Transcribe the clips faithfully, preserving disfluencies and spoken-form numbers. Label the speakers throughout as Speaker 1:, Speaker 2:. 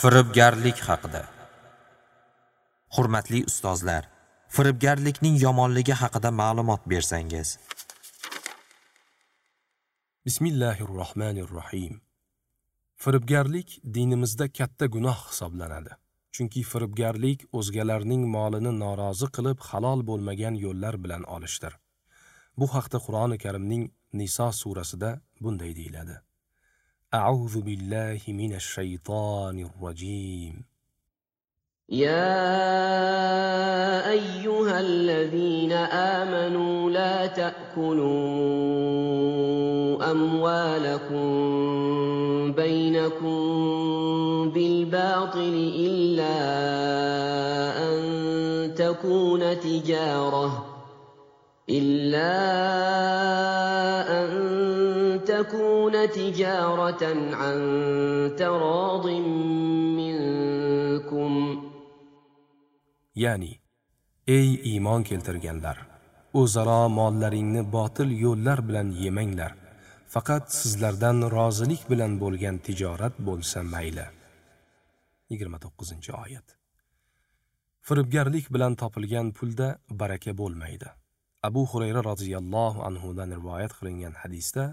Speaker 1: Firibgarlik haqida. Hurmatli ustozlar, firibgarlikning yomonligi haqida ma'lumot bersangiz.
Speaker 2: Bismillahirrohmanirrohim. Firibgarlik dinimizda katta gunoh hisoblanadi. Chunki firibgarlik o'zgalarning molini norozi qilib halol bo'lmagan yo'llar bilan olishdir. Bu haqda Qur'oni Karimning Niso surasida bunday deyiladi: A'udhu billahi minash shaytonir rojim.
Speaker 3: يا أيها الذين آمنوا لا تأكلوا أموالكم بينكم بالباطل إلا أن تكون تجارة إلا أن تكون تجارة عن تراض منكم.
Speaker 2: Ya'ni, ey iymon keltirganlar, o'zaro mollaringni botil yo'llar bilan yemanglar. Faqat sizlardan rozilik bilan bo'lgan tijorat bo'lsa mayli. yigirma to'qqizinchi oyat. Firibgarlik bilan topilgan pulda baraka bo'lmaydi. Abu Hurayra roziyallohu anhu dan rivoyat qilingan hadisda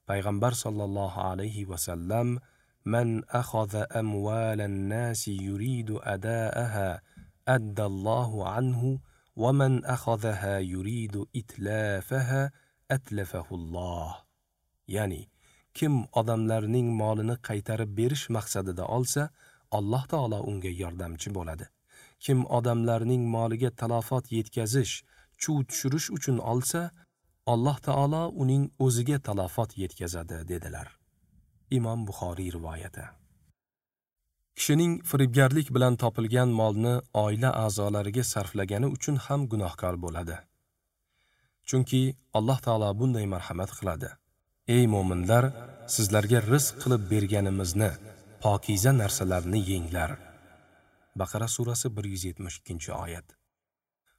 Speaker 2: payg'ambar sallallohu alayhi va sallam man akhadha amwalan nasi yuridu adaaha addallohu anhu va man akhadhaha yuridu itlafaha atlafahu Alloh. Ya'ni, kim odamlarning molini qaytarib berish maqsadida olsa, Alloh taolo unga yordamchi bo'ladi. Kim odamlarning moliga talofat yetkazish, chuv tushirish uchun olsa, Alloh taolo uning o'ziga talofat yetkazadi dedilar. Imom Buxoriy rivoyati. Kishining firibgarlik bilan topilgan molni oila a'zolariga sarflagani uchun ham gunohkor bo'ladi. Chunki Alloh taolo bunday marhamat qiladi: Ey mo'minlar, sizlarga rizq qilib berganimizni, pokiza narsalarni yenglar. Baqara surasi bir yuz yetmish ikkinchi oyat.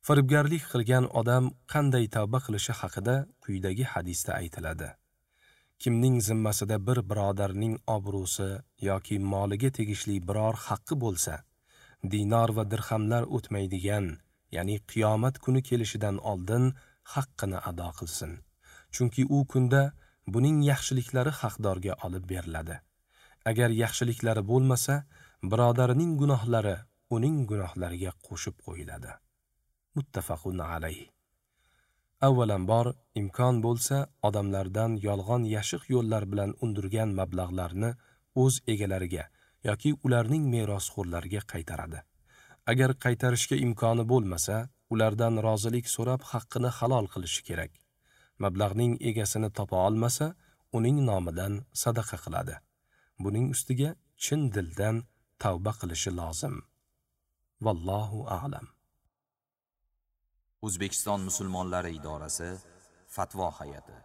Speaker 2: Firibgarlik qilgan odam qanday tavba qilishi haqida quyidagi hadisda aytiladi. Kimning zimmasida bir birodarning obro'si yoki moliga tegishli biror haqqi bo'lsa, dinor va dirhamlar o'tmaydigan, ya'ni qiyomat kuni kelishidan oldin haqqini ado qilsin. Chunki u kunda buning yaxshiliklari haqdorga olib beriladi. Agar yaxshiliklari bo'lmasa, birodarining gunohlari uning gunohlariga qo'shib qo'yiladi. Muttafaqun alayh. Avvalambor, imkon bo'lsa, odamlardan yolg'on yashiq yo'llar bilan undirgan mablag'larni o'z egalariga yoki ularning merosxo'rlariga qaytaradi. Agar qaytarishga imkoni bo'lmasa, ulardan rozilik so'rab haqqini halol qilishi kerak. Mablag'ning egasini topa olmasa, uning nomidan sadaqa qiladi. Buning ustiga chin dildan tavba qilishi lozim. Vallohu a'lam.
Speaker 1: O'zbekiston musulmonlari idorasi Fatvo hay'ati.